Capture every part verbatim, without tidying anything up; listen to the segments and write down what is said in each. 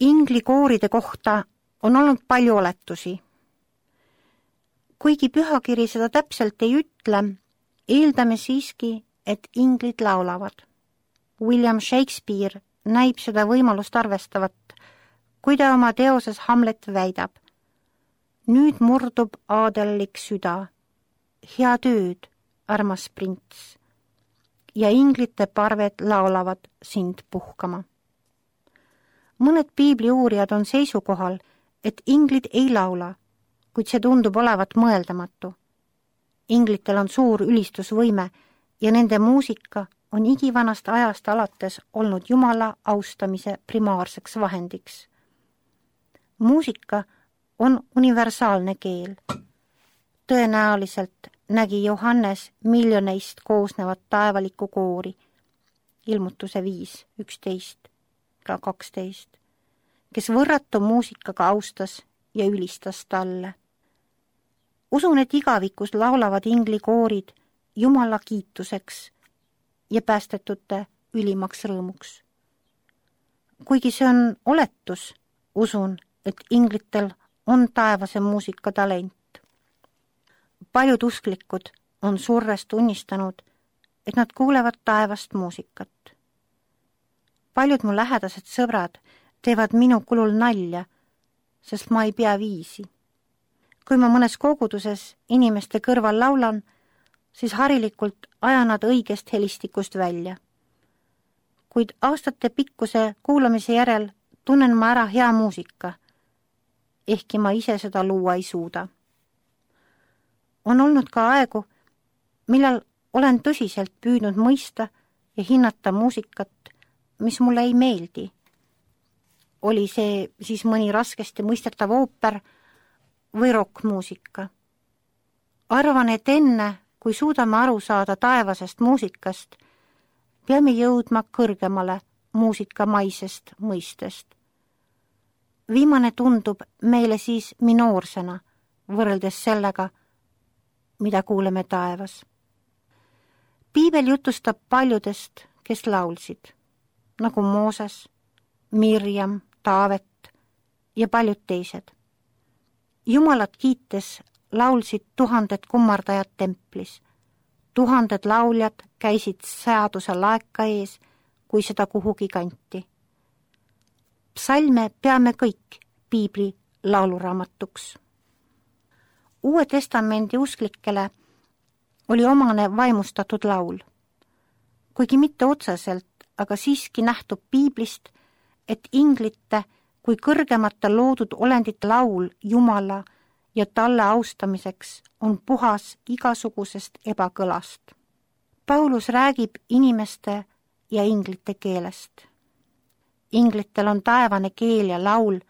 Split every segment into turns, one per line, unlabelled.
Inglikooride kohta on olnud palju oletusi. Kuigi pühakiri seda täpselt ei ütle, eeldame siiski, et inglid laulavad. William Shakespeare näib seda võimalust arvestavat, kui ta oma teoses Hamlet väidab. Nüüd murdub aadellik süda. Hea tööd, armas prints. Ja inglite parved laulavad sind puhkama. Mõned piibli uurijad on seisukohal, et inglid ei laula, kuid see tundub olevat mõeldamatu. Inglitel on suur ülistusvõime ja nende muusika on igivanast ajast alates olnud Jumala austamise primaarseks vahendiks. Muusika on universaalne keel. Tõenäoliselt nägi Johannes miljoneist koosnevat taevalikku koori, ilmutuse viis, üksteist, ka kaksteist, kes võrratu muusikaga austas ja ülistas talle. Usun, et igavikus laulavad inglikoorid Jumala kiituseks ja päästetute ülimaks rõõmuks. Kuigi see on oletus, usun, et inglitel on taevase muusika talent. Paljud usklikud on surres tunnistanud, et nad kuulevad taevast muusikat. Paljud mu lähedased sõbrad teevad minu kulul nalja, sest ma ei pea viisi. Kui ma mõnes koguduses inimeste kõrval laulan, siis harilikult ajan nad õigest helistikust välja. Kuid aastate pikkuse kuulamise järel tunnen ma ära hea muusika, ehkki ma ise seda luua ei suuda. On olnud ka aegu, millal olen tõsiselt püüdnud mõista ja hinnata muusikat, mis mulle ei meeldi. Oli see siis mõni raskesti mõistetav ooper või rokkmuusika. Arvan, et enne, kui suudame aru saada taevasest muusikast, peame jõudma kõrgemale muusikamaisest mõistest. Viimane tundub meile siis minoorsena, võrreldes sellega, mida kuuleme taevas. Piibel jutustab paljudest, kes laulsid, nagu Mooses, Mirjam, Taavet ja paljud teised. Jumalat kiites laulsid tuhanded kummardajad templis. Tuhanded lauljad käisid seaduse laeka ees, kui seda kuhugi kanti. Psalme peame kõik piibli lauluraamatuks. Uue testamendi usklikele oli omane vaimustatud laul. Kuigi mitte otseselt, aga siiski nähtub piiblist, et inglite kui kõrgemate loodud olendite laul Jumala ja talle austamiseks on puhas igasugusest ebakõlast. Paulus räägib inimeste ja inglite keelest. Inglitel on taevane keel ja laul,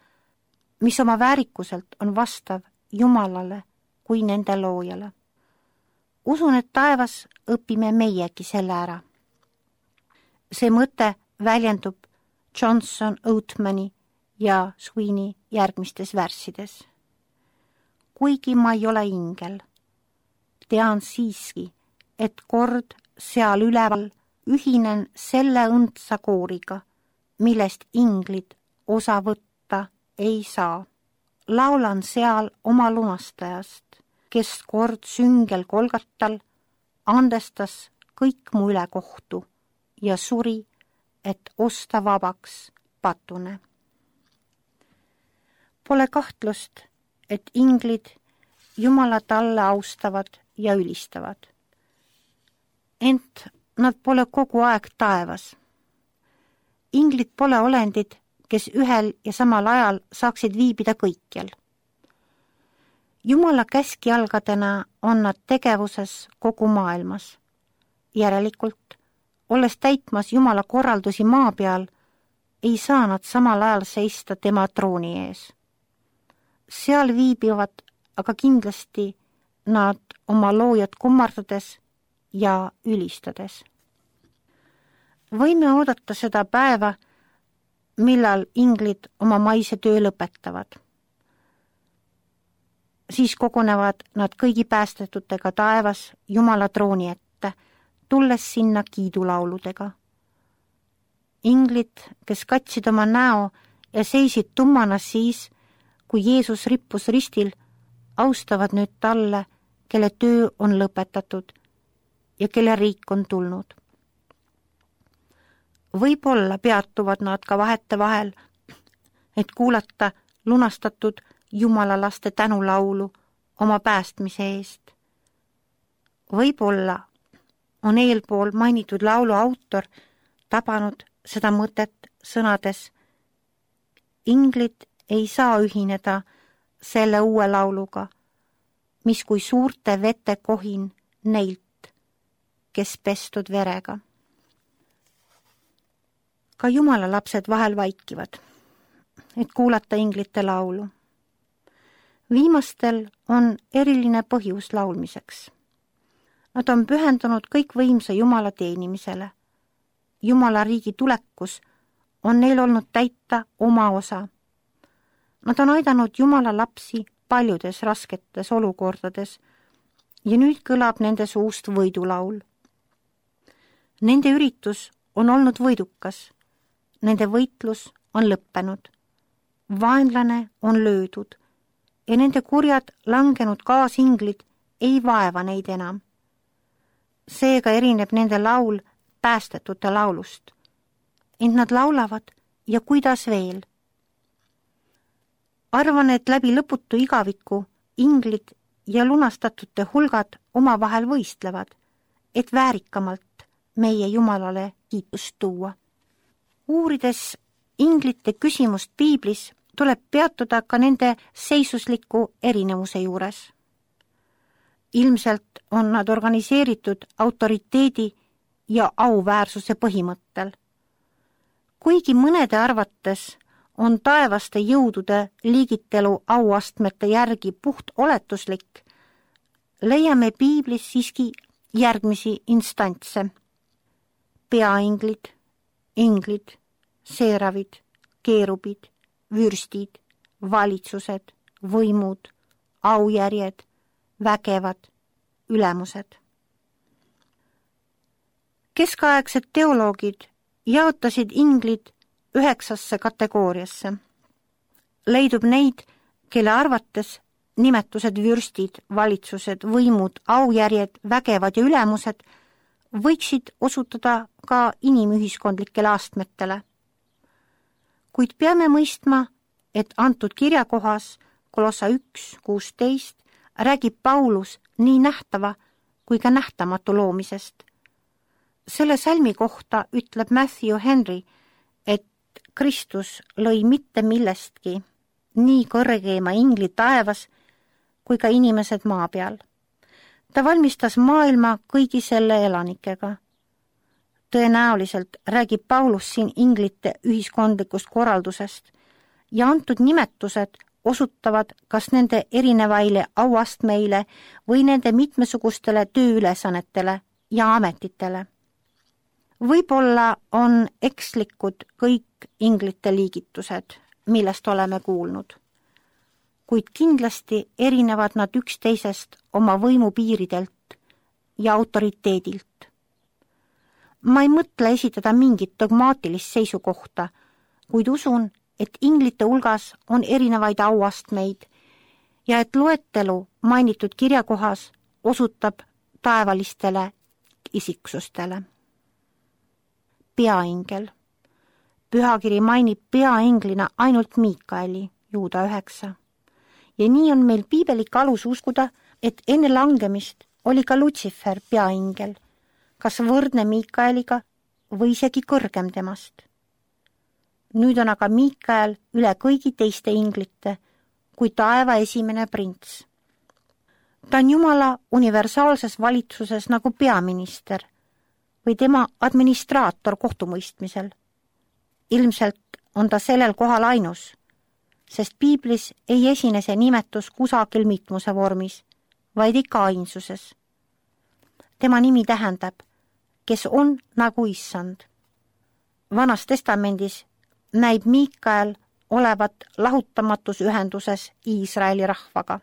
mis oma väärikuselt on vastav Jumalale kui nende loojale. Usun, et taevas õpime meiegi selle ära. See mõte väljendub Johnson, Oatmani ja Sweeney järgmistes värssides. Kuigi ma ei ole ingel, tean siiski, et kord seal üleval ühinen selle õndsa kooriga, millest inglid osa võtta ei saa. Laulan seal oma lunastajast, kes kord süngel Kolgatal andestas kõik mu ülekohtu ja suri, et osta vabaks patune. Pole kahtlust, et inglid Jumala talle austavad ja ülistavad. Ent nad pole kogu aeg taevas. Inglid pole olendid, kes ühel ja samal ajal saaksid viibida kõikjal. Jumala käskjalgadena on nad tegevuses kogu maailmas. Järelikult, olles täitmas Jumala korraldusi maa peal, ei saa nad samal ajal seista tema trooni ees. Seal viibivad aga kindlasti nad oma loojat kummardades ja ülistades. Võime oodata seda päeva, millal inglid oma maise töö lõpetavad. Siis kogunevad nad kõigi päästetutega taevas Jumala trooni ette, tulles sinna kiidulauludega. Inglid, kes katsid oma näo ja seisid tummana siis, kui Jeesus rippus ristil, austavad nüüd talle, kelle töö on lõpetatud ja kelle riik on tulnud. Võib-olla peatuvad nad ka vahetevahel, et kuulata lunastatud Jumala laste tänulaulu oma päästmise eest. Võib-olla on eelpool mainitud laulu autor tabanud seda mõtet sõnades: inglid ei saa ühineda selle uue lauluga, mis kui suurte vete kohin neilt, kes pestud verega. Ka Jumala lapsed vahel vaikivad, et kuulata inglite laulu. Viimastel on eriline põhjus laulmiseks. Nad on pühendunud kõikvõimsa Jumala teenimisele. Jumala riigi tulekus on neil olnud täita oma osa. Nad on aidanud Jumala lapsi paljudes rasketes olukordades ja nüüd kõlab nende suust võidulaul. Nende üritus on olnud võidukas. Nende võitlus on lõppenud. Vaenlane on löödud ja nende kurjad langenud kaasinglid ei vaeva neid enam. Seega erineb nende laul päästetute laulust. Ent nad laulavad ja kuidas veel. Arvan, et läbi lõputu igaviku inglid ja lunastatute hulgad omavahel võistlevad, et väärikamalt meie Jumalale kiitust tuua. Uurides inglite küsimust piiblis, tuleb peatuda ka nende seisusliku erinevuse juures. Ilmselt on nad organiseeritud autoriteedi ja auväärsuse põhimõttel. Kuigi mõnede arvates on taevaste jõudude liigitelu auastmete järgi puht oletuslik, leiame piiblis siiski järgmisi instantse. Peainglid, inglid, seeravid, keerubid, vürstid, valitsused, võimud, aujärjed, vägevad, ülemused. Keskaegsed teoloogid jaotasid inglid üheksasse kategooriasse. Leidub neid, kelle arvates nimetused vürstid, valitsused, võimud, aujärjed, vägevad ja ülemused võiksid osutada ka inimühiskondlikele astmetele. Kuid peame mõistma, et antud kirjakohas Kolossa üks kuusteist räägib Paulus nii nähtava kui ka nähtamatu loomisest. Selle salmi kohta ütleb Matthew Henry, et Kristus lõi mitte millestki nii kõrgeima ingli taevas kui ka inimesed maa peal. Ta valmistas maailma kõigi selle elanikega. Tõenäoliselt räägib Paulus siin inglite ühiskondlikust korraldusest ja antud nimetused osutavad kas nende erinevaile auastmeile või nende mitmesugustele tööülesannetele ja ametitele. Võib-olla on ekslikud kõik inglite liigitused, millest oleme kuulnud, kuid kindlasti erinevad nad üksteisest oma võimupiiridelt ja autoriteedilt. Ma ei mõtle esitada mingit dogmaatilist seisukohta, kuid usun, et inglite hulgas on erinevaid auastmeid ja et loetelu mainitud kirjakohas osutab taevalistele isiksustele. Peaingel. Pühakiri mainib peainglina ainult Miikaeli, Juuda üheksa. Ja nii on meil piibelik alus uskuda, et enne langemist oli ka Lutsifer peaingel, kas võrdne Miikaeliga või isegi kõrgem temast. Nüüd on aga Miikael üle kõigi teiste inglite kui taeva esimene prints. Ta on Jumala universaalses valitsuses nagu peaminister või tema administraator kohtumõistmisel. Ilmselt on ta sellel kohal ainus, sest piiblis ei esine see nimetus kusagil mitmuse vormis, vaid ikka ainsuses. Tema nimi tähendab, kes on nagu issand. Vanas testamendis näib Miikael olevat lahutamatus ühenduses Iisraeli rahvaga.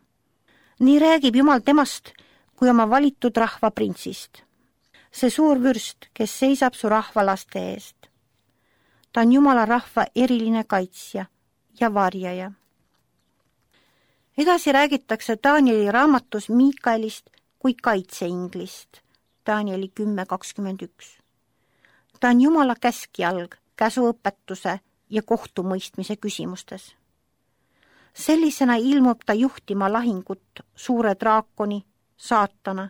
Nii räägib Jumal temast kui oma valitud rahva printsist. See suur vürst, kes seisab su rahva laste eest. Ta on Jumala rahva eriline kaitsja, ja varjaja. Edasi räägitakse Danieli raamatus Miikaelist kui kaitseinglist, Danieli kümme kakskümmend üks. Ta on Jumala käskjalg, käsuõpetuse ja kohtumõistmise küsimustes. Sellisena ilmub ta juhtima lahingut suure draakoni, saatana,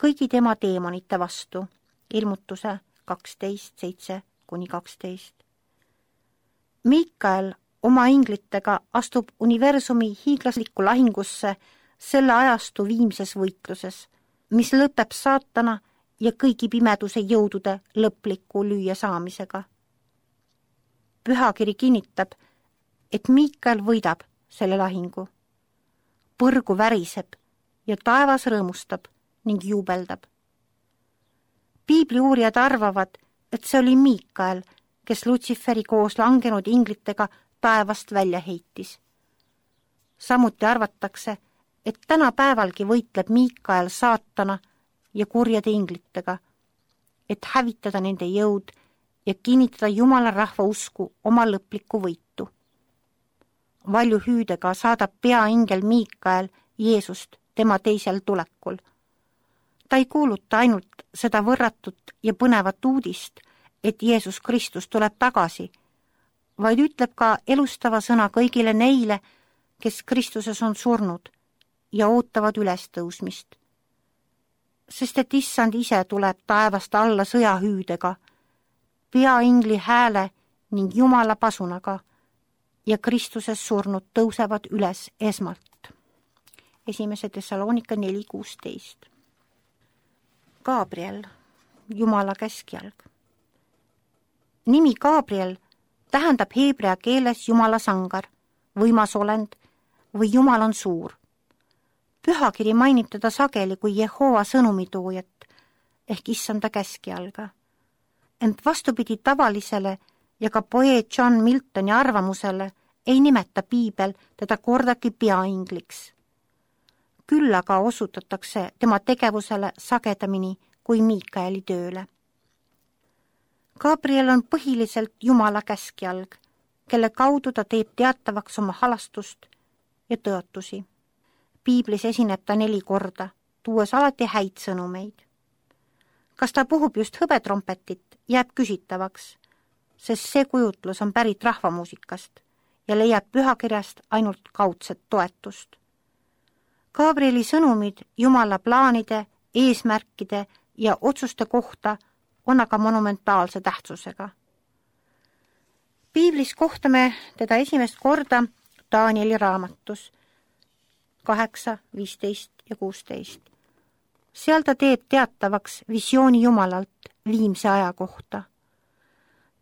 kõigi tema teemonite vastu, ilmutuse kaksteist seitse kuni kaksteist. Miikael oma inglitega astub universumi hiiglaslikku lahingusse selle ajastu viimses võitluses, mis lõpeb saatana ja kõigi pimeduse jõudude lõpliku lüüa saamisega. Pühakiri kinnitab, et Miikael võidab selle lahingu. Põrgu väriseb ja taevas rõõmustab ning juubeldab. Piibli uurijad arvavad, et see oli Miikael, kes Lutsiferi koos langenud inglitega taevast välja heitis. Samuti arvatakse, et tänapäevalgi võitleb Miikael saatana ja kurjade inglitega, et hävitada nende jõud ja kinnitada Jumala rahva usku oma lõplikku võitu. Valju hüüdega saadab peaingel Miikael Jeesust tema teisel tulekul. Ta ei kuuluta ainult seda võrratut ja põnevat uudist, et Jeesus Kristus tuleb tagasi, vaid ütleb ka elustava sõna kõigile neile, kes Kristuses on surnud ja ootavad ülestõusmist. Sest et issand ise tuleb taevast alla sõjahüüdega, peaingli hääle ning Jumala pasunaga ja Kristuses surnud tõusevad üles esmalt. Esimese Thessalonika neli kuusteist. Gabriel, Jumala käskjalg. Nimi Gabriel tähendab heebrea keeles Jumala sangar, võimas olend või Jumal on suur. Pühakiri mainib teda sageli kui Jehova sõnumitoojat ehk issanda käskjalga. Ent vastupidi tavalisele ja ka poeet John Miltoni arvamusele ei nimeta Piibel teda kordagi peaingliks. Küll aga osutatakse tema tegevusele sagedamini kui Miikaeli tööle. Gabriel on põhiliselt Jumala käskjalg, kelle kaudu ta teeb teatavaks oma halastust ja tõotusi. Piiblis esineb ta neli korda, tuues alati häid sõnumeid. Kas ta puhub just hõbetrompetit, jääb küsitavaks, sest see kujutlus on pärit rahvamuusikast ja leiab pühakirjast ainult kaudset toetust. Gabrieli sõnumid Jumala plaanide, eesmärkide ja otsuste kohta on aga monumentaalse tähtsusega. Piiblis kohtame teda esimest korda Danieli raamatus kaheksa, viisteist ja kuusteist. Seal ta teeb teatavaks visiooni Jumalalt viimse aja kohta.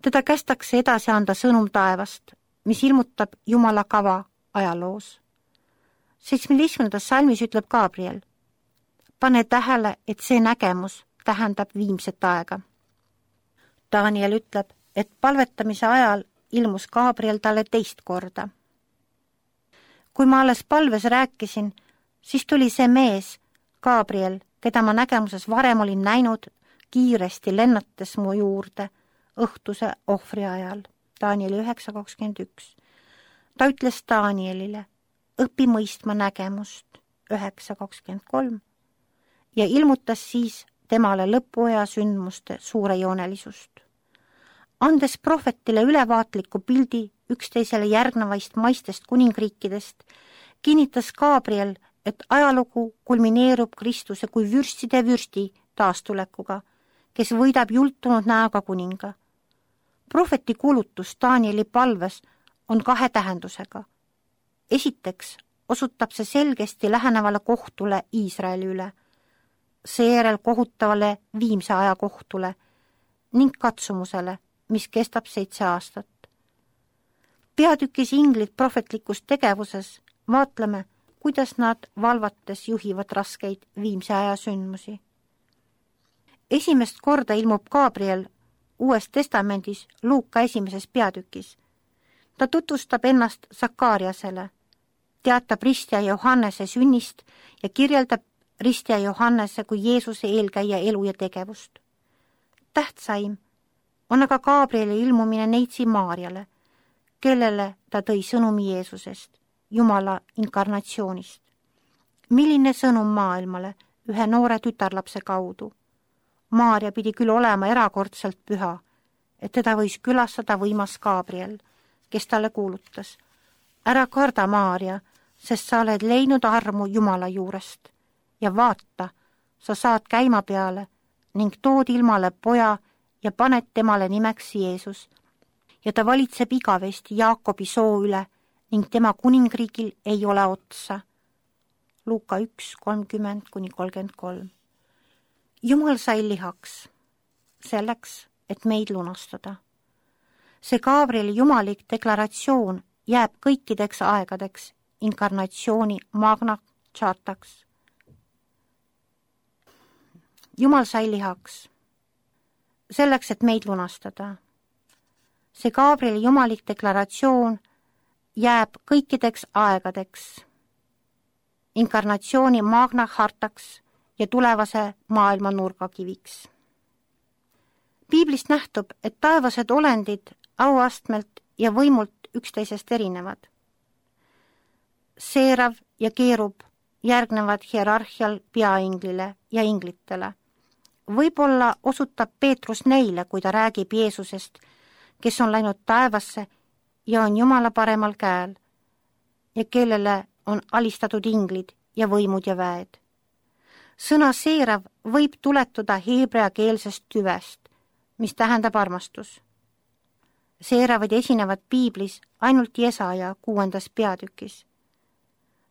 Teda kästakse edasi anda sõnum taevast, mis ilmutab Jumala kava ajaloos. seitsmeteistkümnendas salmis ütleb Gabriel, pane tähele, et see nägemus tähendab viimset aega. Daniel ütleb, et palvetamise ajal ilmus Gabriel talle teist korda. Kui ma alles palves rääkisin, siis tuli see mees, Gabriel, keda ma nägemuses varem olin näinud, kiiresti lennates mu juurde õhtuse ohvri ajal. Danieli üheksa kakskümmend üks. Ta ütles Danielile, õpi mõistma nägemust üheksa kakskümmend kolm ja ilmutas siis temale lõpuaja sündmuste suurejoonelisust. Andes prohvetile ülevaatliku pildi üksteisele järgnevaist maistest kuningriikidest, kinnitas Gabriel, et ajalugu kulmineerub Kristuse kui vürstide vürsti taastulekuga, kes võidab jultunud näoga kuninga. Prohveti kuulutus Danieli palves on kahe tähendusega. Esiteks osutab see selgesti lähenevale kohtule Iisraeli üle, seejärel kohutavale viimse aja kohtule ning katsumusele, mis kestab seitse aastat. Peatükis inglid prohvetlikus tegevuses vaatleme, kuidas nad valvates juhivad raskeid viimse aja sündmusi. Esimest korda ilmub Gabriel Uues testamendis Luuka esimeses peatükis. Ta tutvustab ennast Sakariasele, teatab ristja Johannese sünnist ja kirjeldab ristja Johannese kui Jeesuse eelkäija elu ja tegevust. Tähtsaim on aga Gabrieli ilmumine neitsi Maarjale, kellele ta tõi sõnumi Jeesusest, Jumala inkarnatsioonist. Milline sõnum maailmale ühe noore tütarlapse kaudu? Maarja pidi küll olema erakordselt püha, et teda võis külastada võimas Gabriel, kes talle kuulutas: ära karda, Maarja, sest sa oled leidnud armu Jumala juurest ja vaata, sa saad käima peale ning tood ilmale poja ja paned temale nimeks Jeesus. Ja ta valitseb igavesti Jaakobi soo üle ning tema kuningriigil ei ole otsa. Luuka üks, kolmkümmend kuni kolmkümmend kolm. Jumal sai lihaks selleks, et meid lunastada. See Gabrieli jumalik deklaratsioon jääb kõikideks aegadeks inkarnatsiooni magna chartaks. Jumal sai lihaks selleks, et meid lunastada. See Gabrieli jumalik deklaratsioon jääb kõikideks aegadeks inkarnatsiooni magna chartaks ja tulevase maailma nurgakiviks. Piiblist nähtub, et taevased olendid auastmelt ja võimult üksteisest erinevad. Seerav ja keerub järgnevad hierarhial peainglile ja inglitele. Võib-olla osutab Peetrus neile, kui ta räägib Jeesusest, kes on läinud taevasse ja on Jumala paremal käel ja kellele on alistatud inglid ja võimud ja väed. Sõna seerav võib tuletuda heebreakeelsest tüvest, mis tähendab armastus. Seeravad esinevad piiblis ainult Jesaja kuuendas peatükis.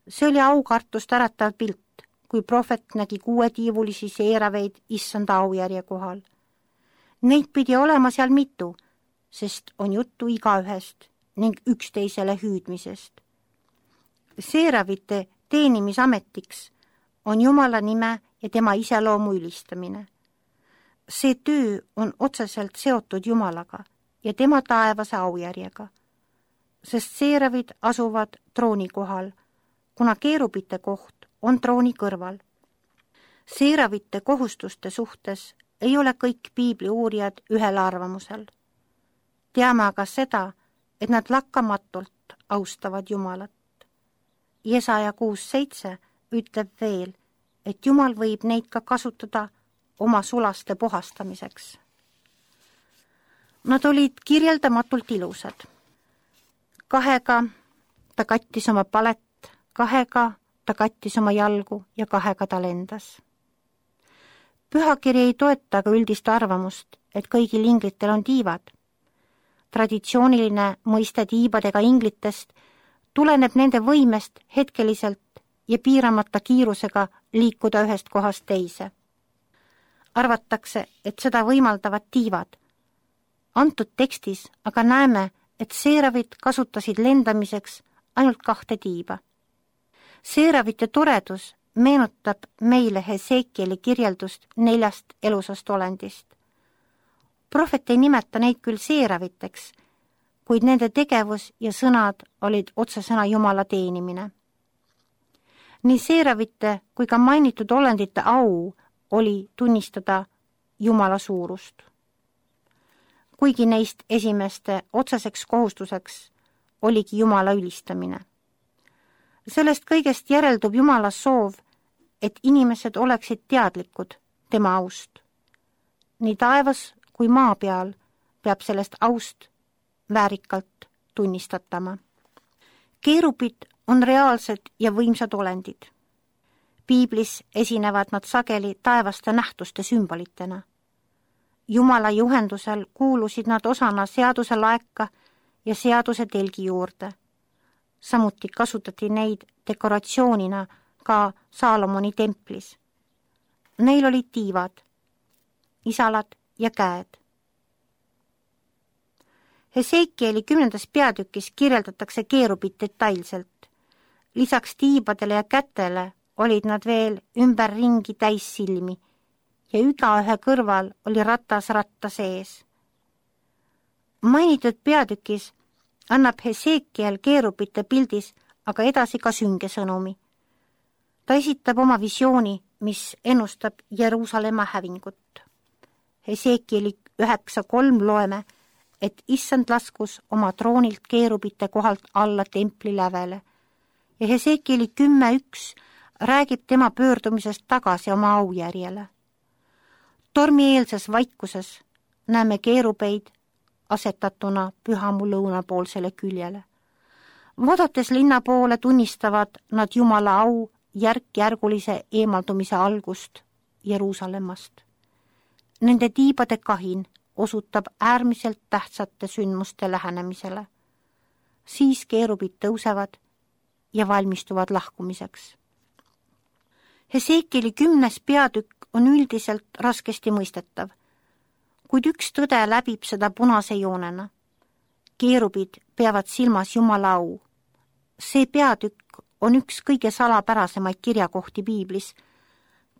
See oli aukartust äratav pilt, kui prohvet nägi kuuetiivulisi seeraveid issanda aujärje kohal. Neid pidi olema seal mitu, sest on juttu igaühest ning üksteisele hüüdmisest. Seeravite teenimisametiks on Jumala nime ja tema iseloomu ülistamine. See töö on otseselt seotud Jumalaga ja tema taevase aujärjega, sest seeravid asuvad trooni kohal, kuna keerubite koht on trooni kõrval. Seeravite kohustuste suhtes ei ole kõik piibli uurijad ühel arvamusel. Teame aga seda, et nad lakkamatult austavad Jumalat. Jesaja kuus seitse ütleb veel, et Jumal võib neid ka kasutada oma sulaste puhastamiseks. Nad olid kirjeldamatult ilusad. Kahega ta kattis oma palet, kahega ta kattis oma jalgu ja kahega ta lendas. Pühakiri ei toeta ka üldist arvamust, et kõigil inglitel on tiivad. Traditsiooniline mõiste tiibadega inglitest tuleneb nende võimest hetkeliselt ja piiramata kiirusega liikuda ühest kohast teise. Arvatakse, et seda võimaldavad tiivad. Antud tekstis aga näeme, et seeravid kasutasid lendamiseks ainult kahte tiiba. Seeravite toredus meenutab meile Hesekieli kirjeldust neljast elusast olendist. Prohvet ei nimeta neid küll seeraviteks, kuid nende tegevus ja sõnad olid otsesõna Jumala teenimine. Nii seeravite kui ka mainitud olendite au oli tunnistada Jumala suurust. Kuigi neist esimeste otseseks kohustuseks oligi Jumala ülistamine. Sellest kõigest järeldub Jumala soov, et inimesed oleksid teadlikud tema aust. Nii taevas kui maa peal peab sellest aust väärikalt tunnistatama. Keerubid on reaalsed ja võimsad olendid. Piiblis esinevad nad sageli taevaste nähtuste sümbolitena. Jumala juhendusel kuulusid nad osana seaduse laeka ja seaduse telgi juurde. Samuti kasutati neid dekoratsioonina ka Saalomoni templis. Neil olid tiivad, isalad ja käed. Hesekieli kümnendas peatükis kirjeldatakse keerubit detailselt. Lisaks tiibadele ja kätele olid nad veel ümberringi täis silmi ja igaühe kõrval oli ratas ratta sees. Mainitud peatükis annab Hesekiel keerubite pildis aga edasi ka sünge sõnumi. Ta esitab oma visiooni, mis ennustab Jeruusalemma hävingut. Hesekieli üheksa kolm loeme, et issand laskus oma troonilt keerubite kohalt alla templi lävele ja Hesekieli kümme üks räägib tema pöördumisest tagasi oma aujärjele. Tormieelses vaikuses näeme keerubeid asetatuna pühamu lõunapoolsele küljele. Vaadates linna poole tunnistavad nad Jumala au järk-järgulise eemaldumise algust Jeruusalemmast. Nende tiibade kahin osutab äärmiselt tähtsate sündmuste lähenemisele. Siis keerubid tõusevad ja valmistuvad lahkumiseks. Hesekieli kümnes peatükk on üldiselt raskesti mõistetav, kuid üks tõde läbib seda punase joonena. Keerubid peavad silmas Jumala au. See peatükk on üks kõige salapärasemaid kirjakohti piiblis,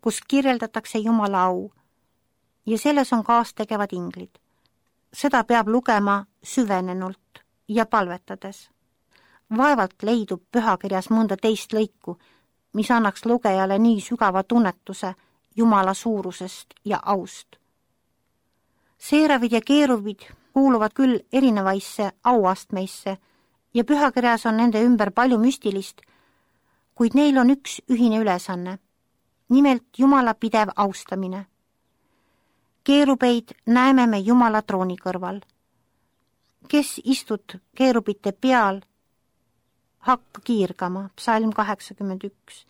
kus kirjeldatakse Jumala au ja selles on kaastegevad inglid. Seda peab lugema süvenenult ja palvetades. Vaevalt leidub pühakirjas mõnda teist lõiku, mis annaks lugejale nii sügava tunnetuse Jumala suurusest ja aust. Seeravid ja keerubid kuuluvad küll erinevaisse auastmeisse ja pühakirjas on nende ümber palju müstilist, kuid neil on üks ühine ülesanne, nimelt Jumala pidev austamine. Keerubeid näeme me Jumala trooni kõrval. Kes istud keerubite peal, hakka kiirgama, psalm kaheksakümmend üks.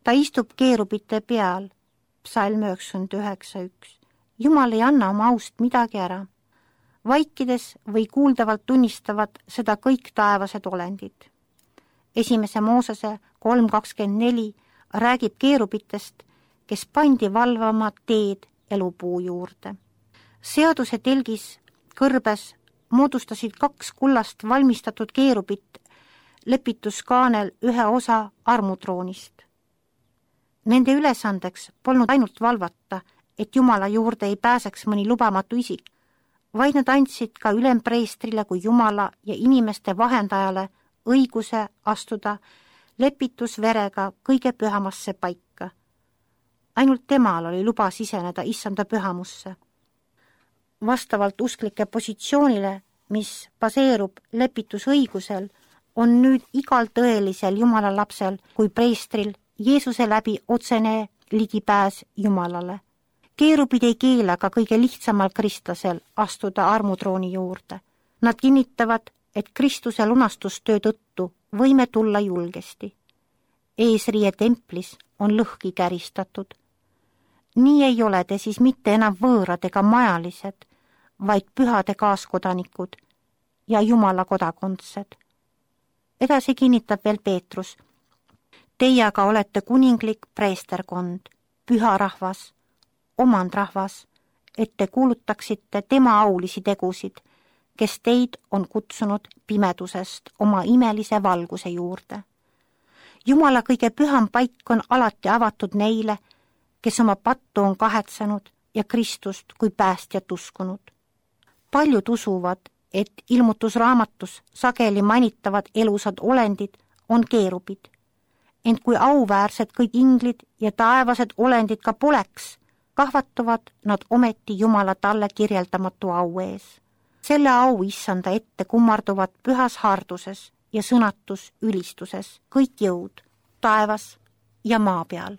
Ta istub keerubite peal, psalm üheksakümmend üheksa üks. Jumal ei anna oma aust midagi ära. Vaikides või kuuldavalt tunnistavad seda kõik taevased olendid. Esimese Moosese kolm kakskümmend neli räägib keerubitest, kes pandi valvama teed elupuu juurde. Seaduse telgis kõrbes moodustasid kaks kullast valmistatud keerubit lepituskaanel ühe osa armutroonist. Nende ülesandeks polnud ainult valvata, et Jumala juurde ei pääseks mõni lubamatu isik, vaid nad andsid ka ülempreestrile kui Jumala ja inimeste vahendajale õiguse astuda lepitusverega kõige pühamasse paika. Ainult temal oli luba siseneda issanda pühamusse. Vastavalt usklike positsioonile, mis baseerub lepitusõigusel, on nüüd igal tõelisel Jumala lapsel kui preestril Jeesuse läbi otsene ligipääs Jumalale. Keerubid ei keela ka kõige lihtsamal kristlasel astuda armutrooni juurde. Nad kinnitavad, et Kristuse lunastustöö tõttu võime tulla julgesti. Eesriie templis on lõhki käristatud. Nii ei ole te siis mitte enam võõrad ega majalised, vaid pühade kaaskodanikud ja Jumala kodakondsed. Edasi kinnitab veel Peetrus. Teie aga olete kuninglik preesterkond, püha rahvas, omandrahvas, et te kuulutaksite tema aulisi tegusid, kes teid on kutsunud pimedusest oma imelise valguse juurde. Jumala kõige püham paik on alati avatud neile, kes oma pattu on kahetsenud ja Kristust kui päästjat uskunud. Paljud usuvad, et ilmutusraamatus sageli mainitavad elusad olendid on keerubid. Ent kui auväärsed kõik inglid ja taevased olendid ka poleks, kahvatuvad nad ometi Jumala talle kirjeldamatu au ees. Selle au issanda ette kummarduvad pühas harduses ja sõnatus ülistuses kõik jõud taevas ja maa peal.